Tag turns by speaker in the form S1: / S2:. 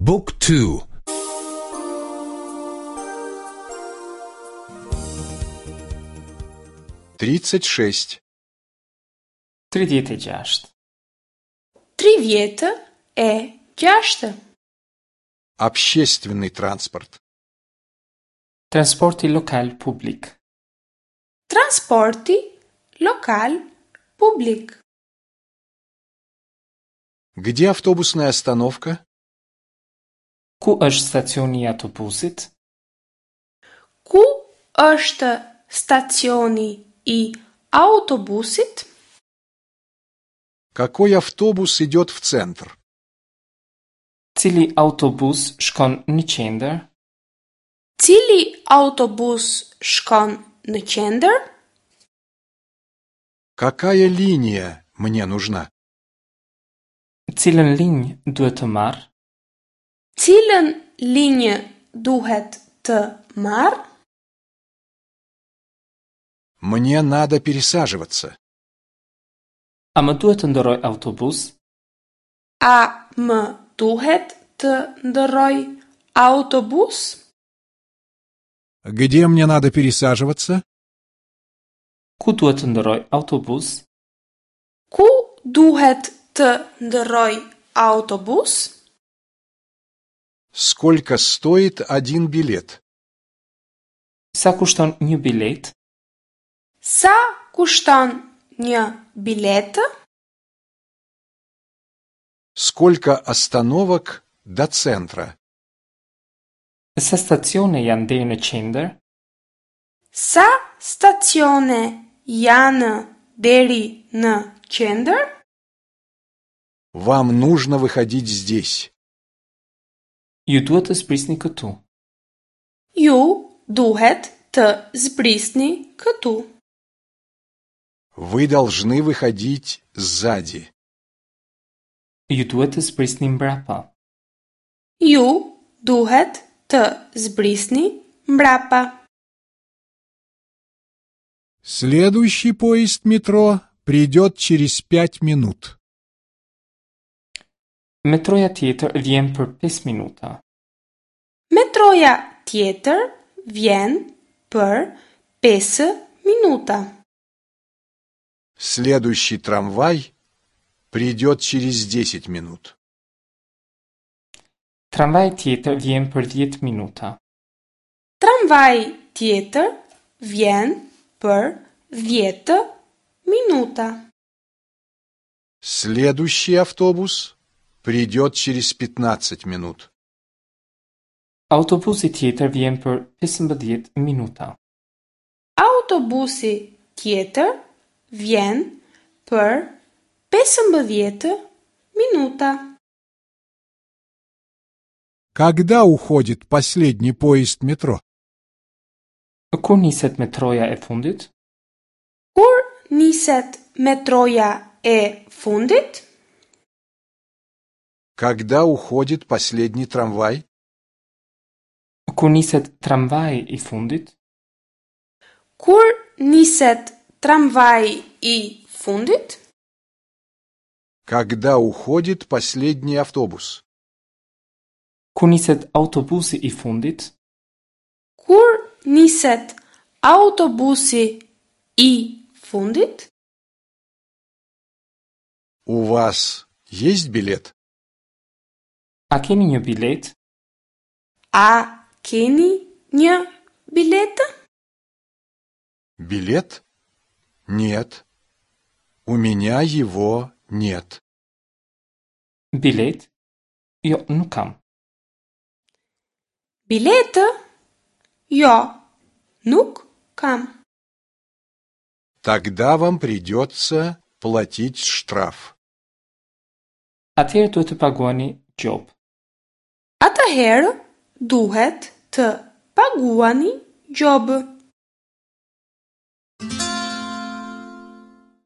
S1: Book 2.
S2: 36.
S3: 36.
S4: 36.
S2: Общественный транспорт.
S3: Transporti lokal publik.
S4: Transporti lokal publik.
S2: Где автобусная остановка?
S3: Ku është stacioni I autobusit?
S4: Ku është stacioni I autobusit?
S2: Какой автобус идет в центр?
S3: Cili autobus shkon në qendër?
S4: Cili autobus shkon në qendër?
S2: Какая линия мне нужна?
S3: Cilën linjë duhet të marr?
S4: Cilën linjë duhet të marr?
S2: Мне надо пересаживаться.
S3: A më duhet të ndërroj autobus?
S4: A më duhet të ndërroj autobus?
S2: Где мне надо пересаживаться?
S3: Ku duhet të ndërroj autobus?
S4: Ku duhet të ndërroj autobus?
S2: Сколько стоит один билет?
S3: Sa kushton një bilet?
S4: Sa kushton një biletë?
S2: Сколько остановок до центра?
S3: Sa stacione janë deri në qendër?
S4: Sa stacione janë deri në qendër?
S2: Вам нужно выходить здесь.
S3: Ju duhet të zbrisni këtu.
S4: Ju duhet të zbrisni këtu.
S2: Вы должны выходить сзади.
S3: Ju duhet të zbrisni mbrapa.
S4: Ju duhet të zbrisni mbrapa.
S2: Следующий поезд метро придет через 5 минут.
S3: Metroja tjetër vjen për 5 minuta.
S4: Metroja tjetër vjen për 5 minuta.
S2: Следующий трамвай придет через 10 минут.
S3: Tramvaj tjetër vjen për 10 minuta.
S4: Tramvaj tjetër vjen për 10 minuta.
S2: Следующий автобус придет через 15 минут.
S3: Autobusi tjetër vjen për 15 minuta.
S4: Autobusi tjetër vjen për 15 minuta.
S2: Когда уходит последний поезд метро?
S3: Kur niset metroja e fundit?
S4: Kur niset metroja e fundit?
S2: Когда уходит последний трамвай?
S3: Kur niset tramvaji I fundit?
S4: Kur niset tramvaji I fundit?
S2: Когда уходит последний автобус?
S3: Kur niset autobusi I fundit?
S4: Kur niset autobusi I fundit?
S2: У вас есть билет?
S3: A keni një bilet?
S4: A keni një biletë?
S2: Билет? Нет. У меня его нет.
S3: Bilet? Jo, nuk kam.
S4: Biletë? Jo, nuk kam.
S2: Тогда вам придется платить штраф.
S3: Atëherë duhet të paguani gjop.
S4: Atëherë duhet të paguani gjobë.